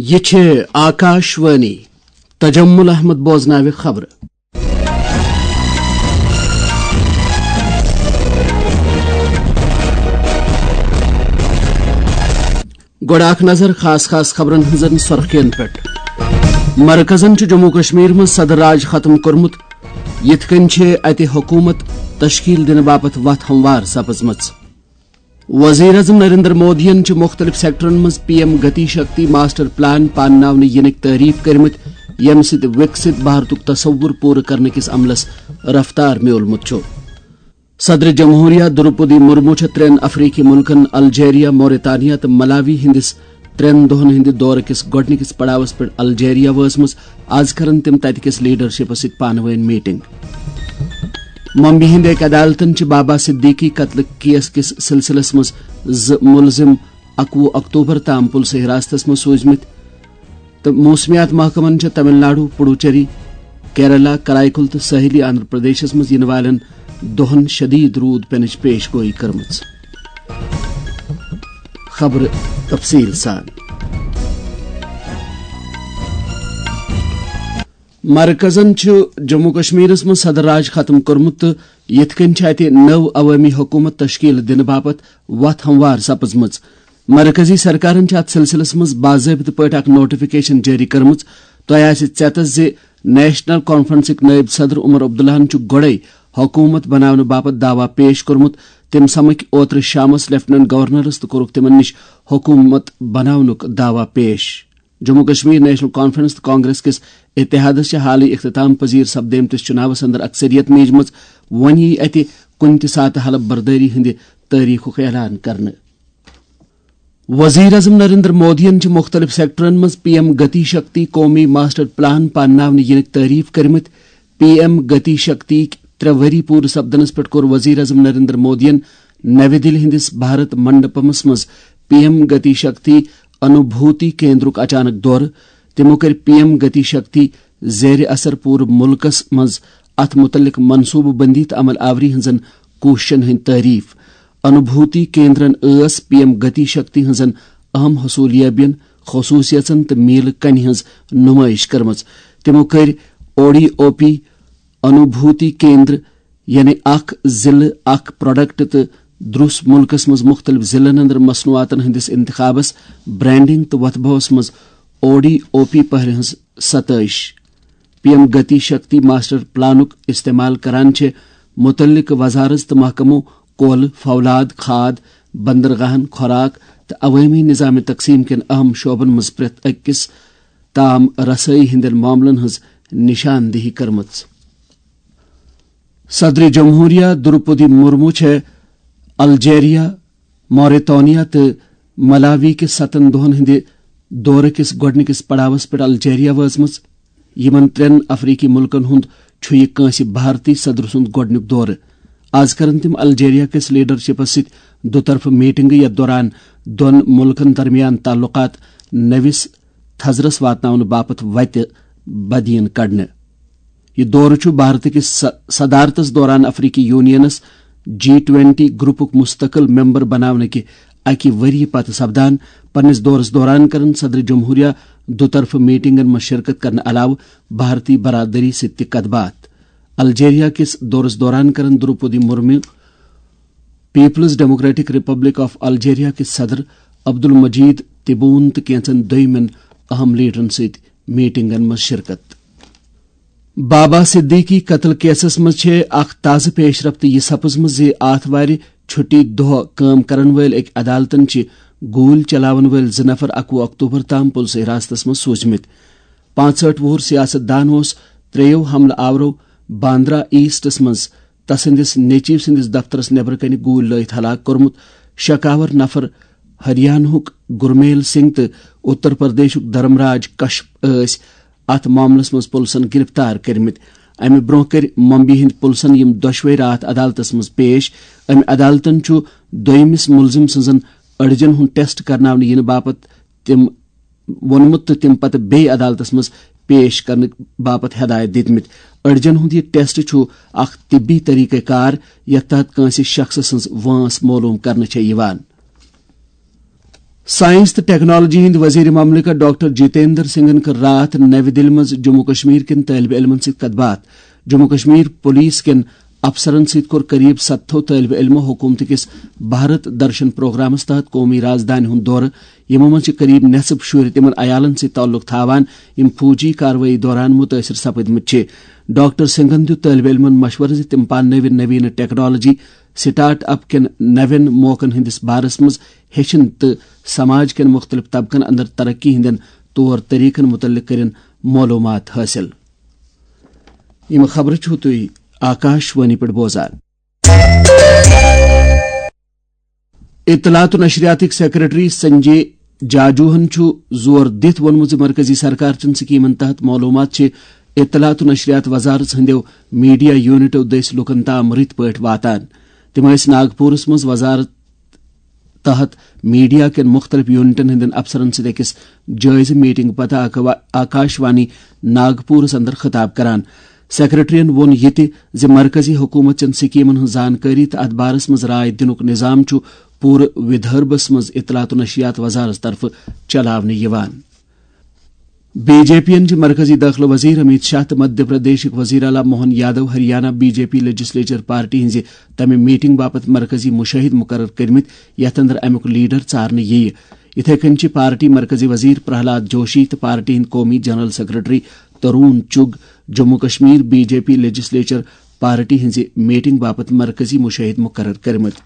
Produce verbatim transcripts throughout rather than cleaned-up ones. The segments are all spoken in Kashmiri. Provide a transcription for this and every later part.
یہِ چھِ آکاش وانی۔ تجمل احمد بوزناوِ خبرٕ۔ گۄڈٕ اکھ نظر خاص خاص خبرن ہٕنٛزن سرخین پٮ۪ٹھ۔ مرکزن چھُ جموں کشمیر منٛز صدر راج ختم کوٚرمُت، یِتھ کٔنۍ چھِ اتہِ حکوٗمت تشکیل دِنہٕ باپتھ وتھ ہموار سپٕزمٕژ۔ وزیر اعظم نریندر مودیَن چھِ مُختٔلِف سیکٹرن منٛز P M Gati Shakti master plan پانناونہٕ یِنٕکۍ تعریف کٔرمٕتۍ، ییٚمہِ سۭتۍ وِکسِت بھارتُک تصور پوٗرٕ کرنہٕ کِس عملس رفتار میوٗلمُت چھُ۔ صدر جمہوریہ دروپدی مرمو چھےٚ ترٛٮ۪ن افریقی مُلکن الجیریا، موریتانیا تہٕ ملاوی ہٕنٛدِس ترٛٮ۪ن دۄہن ہٕنٛدِ دورٕ کِس گۄڈٕنِکِس پڑاوس پٮ۪ٹھ الجیریا وٲژمٕژ۔ از کرن تِم تتہِ کِس لیڈرشپس سۭتۍ پانہٕ وٲنۍ میٹنگ۔ ممبئی ہٕنٛدِ أکۍ عدالتن چھِ بابا صدیقی قتلہٕ کیس کِس سلسلس منٛز زٕ مُلزِم اَکوُہ اکتوبر تام پُلسہٕ حراستس منٛز سوٗزمٕتۍ، تہٕ موسمیات محکمن چھےٚ تمل ناڈو، پڈوچیری، کیرلا، کرائیکل تہٕ ساحلی آندھرا پردیشس منٛز یِنہٕ والٮ۪ن دۄہن شدید روٗد پینٕچ پیش گویی کٔرمٕژ۔ خبرٕ تفصیٖل سان۔ مرکزن چھُ جموں کشمیرس منٛز صدر راج ختم کوٚرمُت تہٕ یِتھ کٔنۍ چھِ اتہِ نٔو عوٲمی حکوٗمت تشکیل دِنہٕ باپتھ وتھ ہموار سپٕزمٕژ۔ مرکزی سرکارن چھِ اتھ سلسلس منٛز باضٲبطہٕ پٲٹھۍ اکھ نوٹیفکیشن جٲری کٔرمٕژ۔ تۄہہِ آسہِ ژیتس زِ نیشنل کانفرنسٕکۍ نٲیِب صدر عمر عبداللہن چھُ گۄڈَے حکوٗمت بناونہٕ باپتھ دعویٰ پیش کوٚرمُت۔ تٔمۍ سمکھۍ اوترٕ شامس لیفٹیننٹ گورنرس تہٕ کوٚرُکھ تِمن نِش حکوٗمت بناونُک دعویٰ پیش۔ جموں کشمیر نیشنل کانفرنس تہٕ کانگریس کِس اتحادس چھِ حالٕے اختتام پذیر سپدیمتِس چُناوس اندر اکثریت میجمٕژ۔ وۄنۍ یِیہِ اتہِ کُنہِ تہِ ساتہٕ حلف بردٲری ہٕنٛدِ تٲریخُک اعلان کرنہٕ۔ وزیر اعظم نریندر مودیَن چھِ مُختٔلِف سیکٹرن منٛز پی ایم گتی شکتی قومی ماسٹر پلان پانناونہٕ یِنٕکۍ تعریف کٔرمٕتۍ۔ پی ایم گتی شکتی ترٛےٚ ؤری پوٗرٕ سپدنس پٮ۪ٹھ کوٚر وزیر اعظم نریندر مودیَن نَوِ دِلہِ ہٕنٛدِس بھارت منڈپمس منٛز پی ایم گتی شکتی انوبھوتی کیندرُک اچانک دورٕ۔ تِمو کٔرۍ پی ایم گتی شکتی زیر اثر پوٗرٕ مُلکس منٛز اتھ مُتعلق منصوٗبہٕ بندی تہٕ عمل آوری ہٕنٛزن کوٗششن ہٕنٛدۍ تعریف۔ انوبھوتی کیندرن ٲس پی ایم گتی شکتی ہٕنٛزن اہم حصوٗلیابین، خصوٗصیژن تہٕ میٖلہٕ کنہِ ہٕنٛز نُمٲیِش کٔرمٕژ۔ تِمو کٔرۍ او ڈی او پی، انوبھوتی کیندر، یعنی اکھ ضلعہٕ، اکھ پروڈکٹ تہٕ درُس مُلکس منٛز مُختٔلِف ضلعن اندر مصنوعاتن ہٕنٛدِس انتخابس، برانڈنگ تہٕ وۄتھٕ بہوس منٛز او ڈی او پی پہرِ ہٕنٛز ستٲیِش۔ P M Gati Shakti master پلانُک استعمال کران چھِ مُتعلقہٕ وزارت تہٕ محکمو کۄل، فولاد، کھاد، بندرگاہن، خوراک تہٕ عوٲمی نظام تقسیٖم کٮ۪ن اہم شعبن منٛز پرٛٮ۪تھ أکِس تام رسٲیی ہٕنٛدٮ۪ن معاملن ہٕنٛز نشاندہی کٔرمٕژ۔ صدر جمہوریہ دروپدی مرمو چھےٚ الجیریا، موریتانیا تہٕ ملاوی کِس ستن دۄہن ہٕنٛدِ دورٕ کِس گۄڈٕنِکِس پڑاوس پٮ۪ٹھ الجیریا وٲژمٕژ۔ یِمن ترٛٮ۪ن افریقی مُلکن ہُنٛد چھُ یہِ کٲنٛسہِ بھارتی صدر سُنٛد گۄڈٕنیُک دورٕ۔ از کرن تِم الجیریا کِس لیڈرشپس سۭتۍ دُطرفہٕ میٹنگہٕ، یتھ دوران دۄن مُلکن درمیان تعلقات نٔوِس تھزرس واتناونہٕ باپتھ وتہِ بدیٖن کڑنہٕ۔ یہِ دورٕ چھُ بھارت کِس ص-، صدارتس دوران افریقی یونینس جی ٹوینٹی گروپُک مستقل ممبر بناونہٕ کہِ اکہِ ؤریہِ پتہٕ سپدان۔ پننِس دورس دوران کرن صدر جمہوریہ دُطرفہٕ میٹنگن منٛز شرکت کرنہٕ علاوٕ بھارتی برادری سۭتۍ تہِ کتھ باتھ۔ الجیریا کِس دورس دوران کرن Droupadi Murmu peoples democratic republic of Algeria کِس صدر عبدالمجید تبون تہٕ کینژن دویمٮ۪ن اہم لیڈرن سۭتۍ میٹنگن منٛز شرکت۔ بابا صدیقی قتل کیسس منٛز چھےٚ اکھ تازٕ پیش رفت یہِ سپٕزمٕژ زِ آتھوارِ چھُٹی دۄہ کٲم کرن وٲلۍ أکۍ عدالتن چھِ گوٗلۍ چلاون وٲلۍ زٕ نفر اکوُہ اکتوبر تام پُلسہٕ حراستس منٛز سوٗزمٕتۍ۔ پانٛژہٲٹھ وُہُر سیاست دان اوس ترٛیٚیو حملہٕ آورو باندرا ایسٹس منٛز تسٕنٛدِس نیٚچِو سٕنٛدِس دفترس نیبرٕ کنہِ گوٗلۍ لٲیِتھ ہلاک کوٚرمُت۔ شکاور نفر ہریانہُک گُرمیل سنگھ تہٕ اُتر پردیشُک دھرمراج کشپ ٲسۍ اتھ معاملس منٛز پُلسن گرفتار کٔرمٕتۍ۔ امہِ برونٛہہ کٔرۍ ممبئی ہٕنٛدۍ پُلسن یِم دۄشوے راتھ عدالتس منٛز پیش۔ امہِ عدالتن چھُ دوٚیمِس مُلزِم سٕنٛزن أڈجن ہُنٛد ٹیسٹ کرناونہٕ یِنہٕ باپتھ تِم ووٚنمُت تہٕ تِم پتہٕ بیٚیہِ عدالتس منٛز پیش کرنہٕ باپتھ ہدایت دِتمٕتۍ۔ أڈجن ہُنٛد یہِ ٹیسٹ چھُ اکھ طبی طریقہ کار یتھ تحت کٲنٛسہِ شخصہٕ سٕنٛز وٲنٛس معلوم کرنہٕ چھےٚ یِوان۔ سائنس تہٕ ٹیکنالوجی ہٕنٛدۍ وزیر مملکت ڈاکٹر جتیندر سنگھن کٔر راتھ نَوِ دِلہِ منٛز جموں کشمیر کٮ۪ن طٲلبہِ علمن سۭتۍ کتھ باتھ۔ جموں کشمیر پولیس کٮ۪ن افسرن سۭتۍ کوٚر قریب ستتھو طٲلبہِ علمو حکومتہٕ کِس بھارت درشن پروگرامس تحت قومی رازدانہِ ہُنٛد دورٕ، یِمو منٛز چھِ قریب نٮ۪صٕف شُرۍ تِمن عیالن سۭتۍ تعلق تھاوان، یِم فوجی کاروٲیی دوران مُتٲثِر سپٕدمٕتۍ چھِ۔ ڈاکٹر سنگھن دیُت طٲلبہِ علمن مشورٕ زِ تِم پانہٕ نٔوۍ نٔویٖنہٕ ٹیکنالوجی، سٹارٹ اپ کٮ۪ن نوٮ۪ن موقعن ہٕنٛدِس بارس منٛز ہیٚچھِن تہٕ سماج کٮ۪ن مُختٔلِف طبقن اندر ترقی ہٕنٛدٮ۪ن طور طریقن مُتعلق کٔرِن معلوٗمات حٲصِل۔ یِم خبرٕ چھِو تُہۍ آکاش وانی پٮ۪ٹھ بوزان۔ اطلاعات و نشریاتٕکۍ سیکرٹری سنجے جاجوہن چھُ زور دِتھ ووٚنمُت زِ مرکزی سرکار چٮ۪ن سکیمن تحت معلوٗمات چھِ اطلاعات و نشریات وزارت ہٕنٛدیو میڈیا یونٹو دٔسۍ لوٗکن تام رٕتۍ پٲٹھۍ واتان۔ تِم ٲسۍ ناگپوٗرس منٛز وزارت تحت میڈیا کٮ۪ن مُختٔلِف یونٹن ہٕنٛدٮ۪ن افسرن سۭتۍ أکِس جٲیزٕ میٹنگ پتہٕ آکوا-، آکاش وانی ناگپوٗرس اندر خطاب کران۔ سیکرٹریَن ووٚن یہِ تہِ زِ مرکزی حکوٗمت چٮ۪ن سکیمن ہٕنٛز زانکٲری تہٕ اتھ بارس منٛز راے دِنُک نظام چھُ پوٗرٕ ودھربس منٛز اطلاعات و نشریات وزارت طرفہٕ چلاونہٕ یِوان۔ بی جے پی یَن چھِ مرکزی دٲخلہٕ وزیر امیت شاہ تہٕ مدھیہ پردیشٕکۍ وزیر اعلیٰ Mohan Yadav Haryana B J P legislature party ہٕنٛزِ تَمہِ میٹنگ باپتھ مرکزی مُشٲہِد مُقرر کٔرمٕتۍ، یَتھ اندر اَمیُک لیڈر ژارنہٕ یِیہِ۔ یِتھے کٔنۍ چھِ پارٹی مرکزی وزیر پرہلاد جوشی تہٕ پارٹی ہٕنٛدۍ قومی general secretary Tarun Chugh Jammu Kashmir B J P legislature party ہٕنٛزِ میٹنگ باپتھ مرکزی مُشٲہِد مُقرر کٔرمٕتۍ۔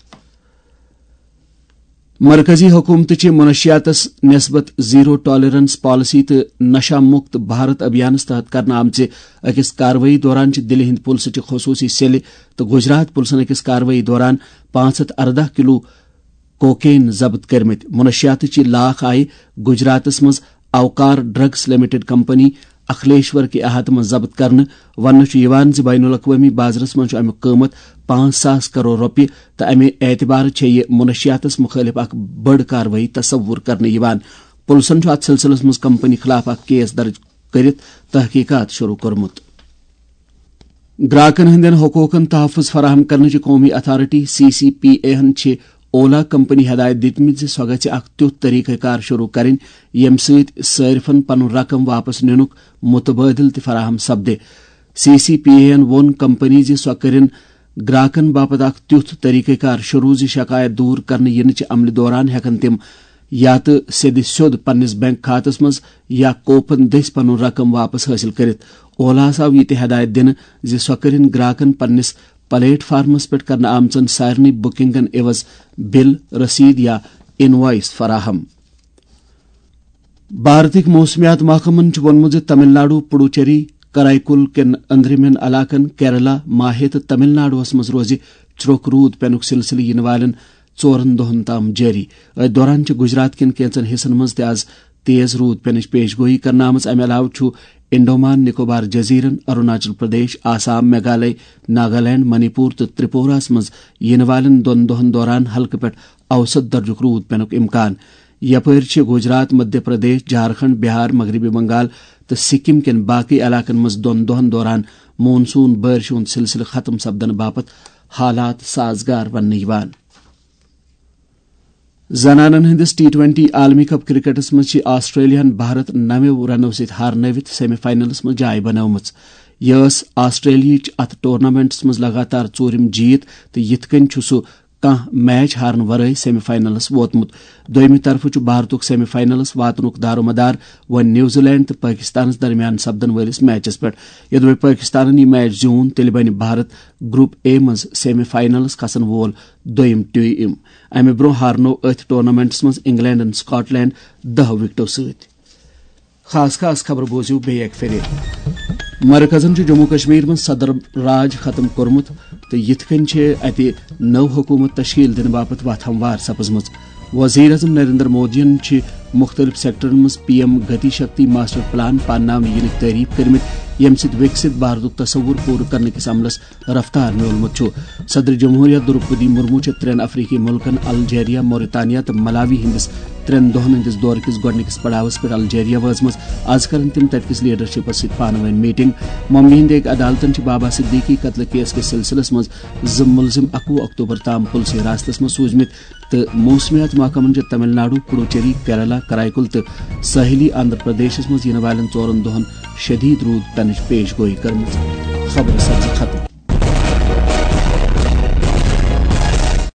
مرکزی حکومتٕچہِ منشیاتس نسبت زیرو ٹالرنس پالیسی تہٕ نشہ مکت بھارت ابھیانس تحت کرنہٕ آمژِ أکِس کاروٲیی دوران چھِ دِلہِ ہٕنٛدِ پُلسہٕ چہِ خصوٗصی سیلہِ تہٕ گجرات پُلسن أکِس کاروٲیی دوران پانٛژھ ہتھ ارداہ کلو کوکین ضبط کٔرمٕتۍ۔ منشیاتٕچ یہِ لاکھ آیہِ گجراتس منٛز اوکار ڈرگس لمیٹڈ کمپنی اکھلیشور کہِ احاطہٕ منٛز ضبط کرنہٕ۔ وننہٕ چھُ یِوان زِ بین الاقوٲمی بازرَس منٛز چھُ اَمیُک قۭمَتھ پانٛژھ ساس کرور رۄپیہِ تہٕ اَمہِ اعتبارٕ چھےٚ یہِ منشیاتَس مُخٲلِف اکھ بٔڑ کاروٲیی تصور کرنہٕ یِوان۔ پُلسَن چھُ اَتھ سلسلس منٛز کمپنی خلاف اکھ کیس درٕج کٔرِتھ تحقیقات شروع کوٚرمُت۔ گراکن ہٕنٛدٮ۪ن حقوٗقن تحفظ فراہم کرنٕچہِ قومی authority, C C P A ہن چھِ اولا کمپنی ہدایت دِتمٕتۍ زِ سۄ گژھِ اکھ تیُتھ طریقہ کار شروع کرٕنۍ، ییٚمہِ سۭتۍ صٲرفن پنُن رقم واپس نِنُک متبادل تہِ فراہم سپدِ۔ سی سی پی اے ہن ووٚن کمپنی زِ سۄ کٔرِن گراکن باپتھ اکھ تیُتھ طریقہ کار شروع زِ شکایت دور کرنہٕ یِنہٕ چہِ عملہِ دوران ہٮ۪کن تِم یا تہٕ سیٚدِ سیوٚد پننِس بینک کھاتس منٛز یا کوپن دٔسۍ پنُن رقم واپس حٲصِل کٔرِتھ۔ اولاہس آو یہِ تہِ ہدایت دِنہٕ زِ سۄ کٔرِن گراکن پننِس پلیٹ فارمس پٮ۪ٹھ کرنہٕ آمژن سارنٕے بُکنگن عوض بل، رسیٖد یا انوائس فراہم۔ بھارتٕکۍ موسمیات محکمن چھُ ووٚنمُت زِ تمل ناڈو، پڈوچیری، کرائیکل کٮ۪ن أنٛدرِمٮ۪ن علاقن، کیرلا، ماہے تہٕ تمل ناڈوَس منٛز روزِ ژھرٛوٚک روٗد پینُک سلسلہٕ یِنہٕ والٮ۪ن ژورن دۄہن تام جٲری۔ أتھۍ دوران چھِ گجرات کٮ۪ن کینٛژن حصن منٛز تہِ آز تیز روٗد پینٕچ پیش گویی کرنہٕ آمٕژ۔ امہِ علاوٕ چھُ انڈومان نکوبار جزیرن، اروناچل پردیش، آسام، میگھالے، ناگالینڈ، منی پور تہٕ ترپوراہس منٛز یِنہٕ والٮ۪ن دۄن دۄہن دوران ہلکہٕ پٮ۪ٹھ اوسط درجُک روٗد پینُک امکان۔ یپٲرۍ چھِ گجرات، مدھیہ پردیش، جھارکھنڈ، بہار، مغربی بنگال تہٕ سکم کٮ۪ن باقٕے علاقن منٛز دۄن دۄہن دوران مون سون بارشہِ ہُنٛد سلسلہٕ ختم سپدنہٕ باپتھ حالات سازگار وننہٕ یِوان۔ زنانن ہٕنٛدِس ٹی ٹوینٹی عالمی کپ کرکٹس منٛز چھِ آسٹریلیاہن بھارت نَوِ رنو سۭتۍ ہارنٲوِتھ سیمی فاینلس منٛز جاے بنٲومٕژ۔ یہِ ٲس آسٹریلیاہٕچ اتھ ٹورنامنٹس منٛز لگاتار ژوٗرِم جیٖت تہٕ یِتھ کٔنۍ چھُ سُہ کانٛہہ میچ ہارنہٕ ورٲے سیمی فاینلس ووتمُت۔ دوٚیمہِ طرفہٕ چھُ بھارتُک سیمی فاینلس واتنُک دارومدار وۄنۍ نیوزی لینڈ تہٕ پٲکستانس درمیان سپدن وٲلِس میچس پٮ۪ٹھ۔ یوٚدوَے پٲکستانن یہِ میچ زیوٗن، تیٚلہِ بنہِ بھارت گروپ اے منٛز سیمی فاینلس کھسن وول دوٚیِم ٹیم۔ امہِ برونٛہہ ہارنوو أتھۍ ٹورنامنٹس منٛز انگلینڈن سکاٹ لینڈ دَہ وکٹو سۭتۍ۔ خاص خاص خبرٕ بوٗزِو بیٚیہِ اَکہِ پھِرِ۔ مرکزن چھُ جموں کشمیر منٛز صدر راج ختم کوٚرمُت تہٕ یِتھ کٔنۍ چھِ اَتہِ نٔو حکوٗمت تشکیل دِنہٕ باپتھ وَتھ ہموار سپٕزمٕژ۔ وزیر اعظم نریندر مودیَن چھِ مُختٔلِف سیکٹرن منٛز P M Gati Shakti master plan پانناونہٕ یِنٕکۍ تعریف کٔرمٕتۍ، ییٚمہِ سۭتۍ وِکسِت بھارتُک تصور پوٗرٕ کرنہٕ کِس عملس رفتار میوٗلمُت چھُ۔ صدر جمہوریہ دروپدی مرمو چھِ ترٛٮ۪ن افریقی مُلکن الجیریا، موریتانیا تہٕ ملاوی ہٕنٛدِس ترٛٮ۪ن دۄہَن ہٕنٛدِس دورٕ کِس گۄڈٕنِکِس پڑاوَس پٮ۪ٹھ الجیریا وٲژمٕژ۔ آز کَرَن تِم تَتہِ کِس لیڈرشِپَس سۭتۍ پانہٕ ؤنۍ میٖٹِنٛگ۔ ممبیہِ ہٕنٛدِ أکۍ عدالتَن چھِ بابا صدیقی قتلہٕ کیس کِس سلسلس منٛز زٕ مُلزِم اَکوُہ اکتوبر تام پُلسہٕ حراستَس منٛز سوٗزمٕتۍ تہٕ موسمیات محکمَن چھِ تمل ناڈو، پڈوچیری، کیرالہ، کرائیکل تہٕ ساحلی آندھرا پردیشَس منٛز یِنہٕ والٮ۪ن ژورَن دۄہَن شدید روٗد پٮ۪نٕچ پیش گویی کٔرمٕژ۔ خبرٕ سپزٕ ختم۔